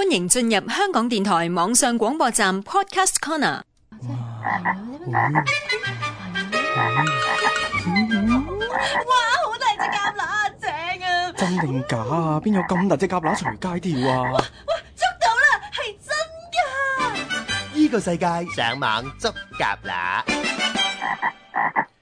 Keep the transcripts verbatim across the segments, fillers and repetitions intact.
歡迎進入香港電台網上廣播站 Podcast Corner。哇，好大隻蛤乸啊，正啊！真定假啊？邊有咁大隻蛤乸隨街跳啊？哇，捉到啦，係真㗎！呢個世界上網捉蛤乸。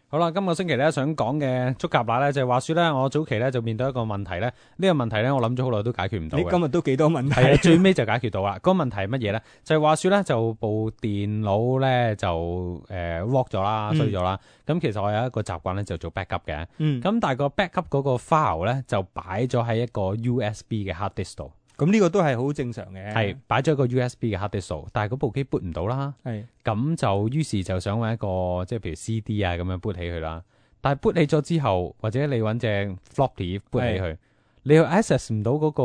好啦，今個星期咧想講嘅捉蛤乸咧，就係話說咧，我早期咧就面對一個問題咧，呢、這個問題咧我諗咗好耐都解決唔到嘅。你今日都幾多問題？係啊，最尾就解決到啦。嗰、那個問題係乜嘢咧？就係、是、話說咧，就部電腦咧就誒 lock 咗啦，衰咗啦。咁、嗯、其實我有一個習慣咧，就做 backup 嘅。嗯。咁但係個 backup 嗰個 file 咧，就擺咗喺一個 U S B 嘅 hard disk 度。咁呢個都係好正常嘅，係擺咗一個 U S B 嘅 hard disk 度，但係嗰部機 boot 唔到啦。係。咁就於是就想揾一個即係譬如 C D 啊咁樣 boot 起佢啦。但係 boot 起咗之後，或者你揾隻 floppy boot 起佢，你又 access 唔到嗰個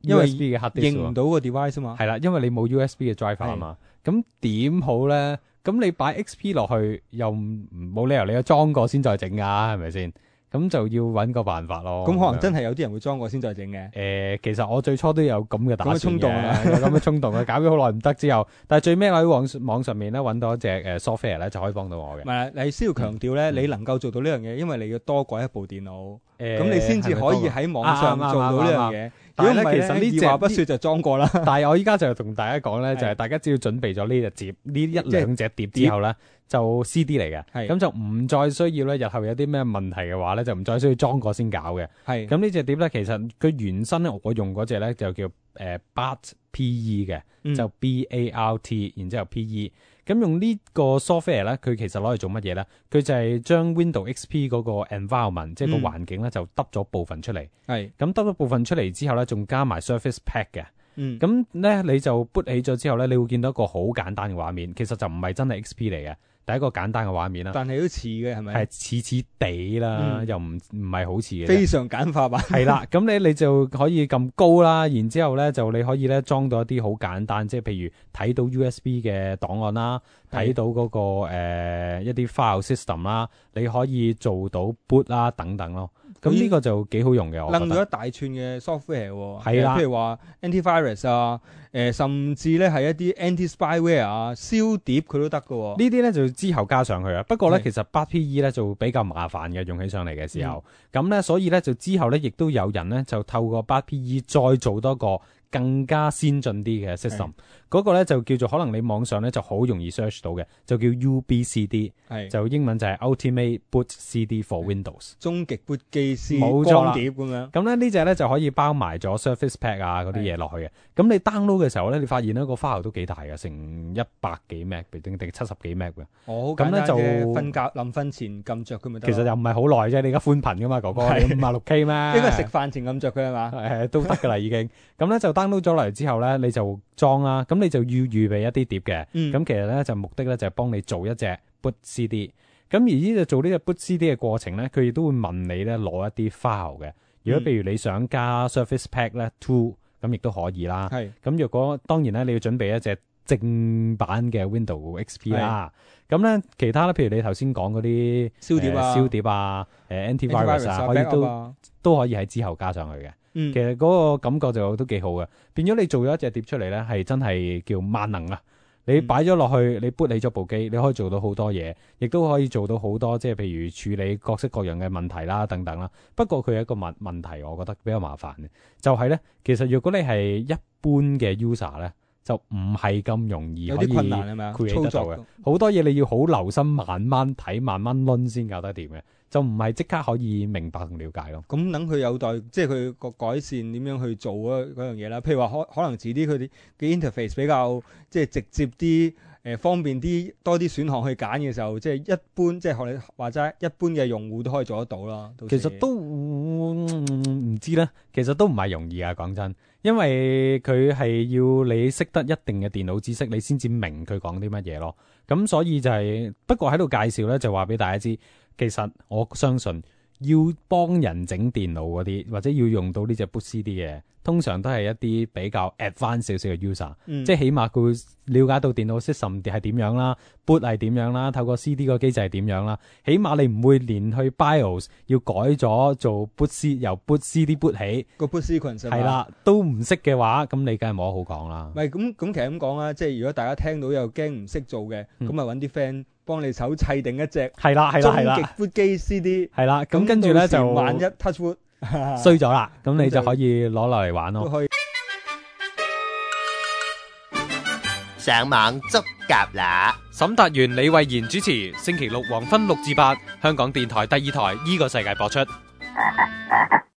U S B 嘅 hard disk， 認唔到個 device 啊嘛。係啦，因為你冇 U S B 嘅 driver 啊嘛。咁點好咧？咁你擺 X P 落去又冇理由你有裝過先再整㗎，係咪先？咁就要揾個辦法咯。咁可能真係有啲人會裝過先再整嘅。誒、呃，其實我最初都有咁嘅打算嘅，咁嘅衝動啊，有咁嘅衝動嘅，搞咗好耐唔得之後，但係最尾我喺網網上面咧揾到一隻誒 software 咧就可以幫到我嘅。唔係，你需要強調咧，嗯、你能夠做到呢樣嘢，因為你要多過一部電腦，咁、呃、你先至可以喺網上做到呢樣嘢。如果唔係咧，其實呢隻二話不說就裝過啦。但係我依家就同大家講咧，就係大家只要準備咗呢隻碟，呢一兩隻碟之後咧。就 C D 嚟嘅，咁就唔再需要咧。日後有啲咩問題嘅話咧，就唔再需要裝過先搞嘅。係咁呢隻碟咧，其實佢原身咧，我用嗰隻咧就叫誒 B A R T P E 嘅，嗯、就 B A R T， 然之後 P E。咁用呢個 software 咧，佢其實攞嚟做乜嘢咧？佢就係將 Windows X P 嗰個 environment，、嗯、即係個環境咧，就揼咗部分出嚟。係咁揼咗部分出嚟之後咧，仲加埋 Surface Pack 嘅。嗯，咁咧你就 boot 起咗之後咧，你會見到一個好簡單嘅畫面，其實就唔係真係 X P 嚟嘅。第一個簡單嘅畫面啦，但係都似嘅係咪？係似似地啦，嗯、又唔唔係好似嘅，非常簡化版。係啦，咁你你就可以撳高啦，然之後咧就你可以咧裝到一啲好簡單，即係譬如睇到 U S B 嘅檔案啦，睇到嗰、那個誒、呃、一啲 file system 啦，你可以做到 boot 啦等等咯。咁呢個就幾好用嘅，我覺得。掕咗一大串嘅 software 喎，係啦，譬如話 antivirus 啊，誒、呃、甚至咧係一啲 anti-spyware 啊，燒碟佢都得㗎喎。呢啲咧就之後加上去啊。不過咧其實 B A R T P E 咧就比較麻煩嘅，用起上嚟嘅時候。咁咧、嗯、所以咧就之後咧亦都有人咧就透過 B A R T P E 再做多個更加先進啲嘅 system，嗰個咧就叫做可能你網上咧就好容易 search 到嘅，就叫 U B C D， 就英文就係 Ultimate Boot C D for Windows， 終極 boot 機 C D 光碟咁樣。咁咧呢隻咧就可以包埋咗 Surface Pack 啊嗰啲嘢落去嘅。咁你 download 嘅時候咧，你發現咧個 file 都幾大嘅，成一百幾 meg 定定七十幾 meg 嘅。哦，咁咧就瞓覺臨瞓前撳着佢咪得。其實又唔係好耐啫，你而家寬頻噶嘛，哥哥，你五十六 K 咩？應該食飯前撳着佢係嘛？誒都得噶啦已經。咁咧就 download 咗嚟之後咧，你就裝啦。咁你就要預備一啲碟嘅。咁、嗯、其實咧就目的咧就係幫你做一隻 boot C D。咁而呢隻做呢隻 boot C D 嘅過程咧，佢亦都會問你咧攞一啲 file 嘅。如果譬如你想加 Surface Pack 咧 two， 咁亦都可以啦。係。咁若果當然咧，你要準備一隻正版嘅 Windows X P 啦。咁咧其他咧，譬如你頭先講嗰啲燒碟啊、燒、呃、碟啊、誒 antivirus 啊，可以都、啊、都可以喺之後加上去嘅。嗯、其實嗰個感覺就都幾好嘅，變咗你做咗一隻碟出嚟咧，係真係叫萬能啊！你擺咗落去，你 boot 起咗部機，你可以做到好多嘢，亦都可以做到好多，即係譬如處理各式各樣嘅問題啦，等等啦。不過佢有一個問問題，我覺得比較麻煩嘅，就係咧，其實如果你係一般嘅 user 咧，就唔係咁容易可以 create 得到嘅，好多嘢你要好留心，慢慢睇，慢慢掄先搞得掂嘅。就唔係即刻可以明白同了解咯。咁等佢有待，即係佢個改善點樣去做嗰嗰樣嘢啦。譬如話可可能遲啲佢哋嘅 interface 比較即係直接啲，誒、呃、方便啲，多啲選項去揀嘅時候，即係一般即係學你話齋，一般嘅用戶都可以做得到啦。其實都唔、嗯、知咧，其實都唔係容易啊。講真，因為佢係要你識得一定嘅電腦知識，你先至明佢講啲乜嘢咯。咁所以就係、是、不過喺度介紹咧，就話俾大家知。其實我相信要幫人整電腦嗰啲，或者要用到呢隻 boot C D 嘅，通常都係一啲比較 advanced 少少嘅 user，、嗯、即係起碼佢會了解到電腦 system 係點樣啦 ，boot 係點樣啦，透過 C D 個機制係點樣啦，起碼你唔會連去 BIOS 要改咗做 boot C 由 boot C D boot 起個 boot sequence 係啦，都唔識嘅話，咁你梗係冇得好講啦。唔係咁咁，其實咁講啦，即係如果大家聽到又驚唔識做嘅，咁咪揾啲 friend 幫你手砌定一隻係啦係啦係啦終極 boot 機 C D 係啦，咁跟住咧就萬一 touch wood 衰咗啦，咁你就可以攞落嚟玩咯。上網捉蛤乸，沈達元、李慧賢主持，星期六黃昏六至八，香港電台第二台依個世界播出。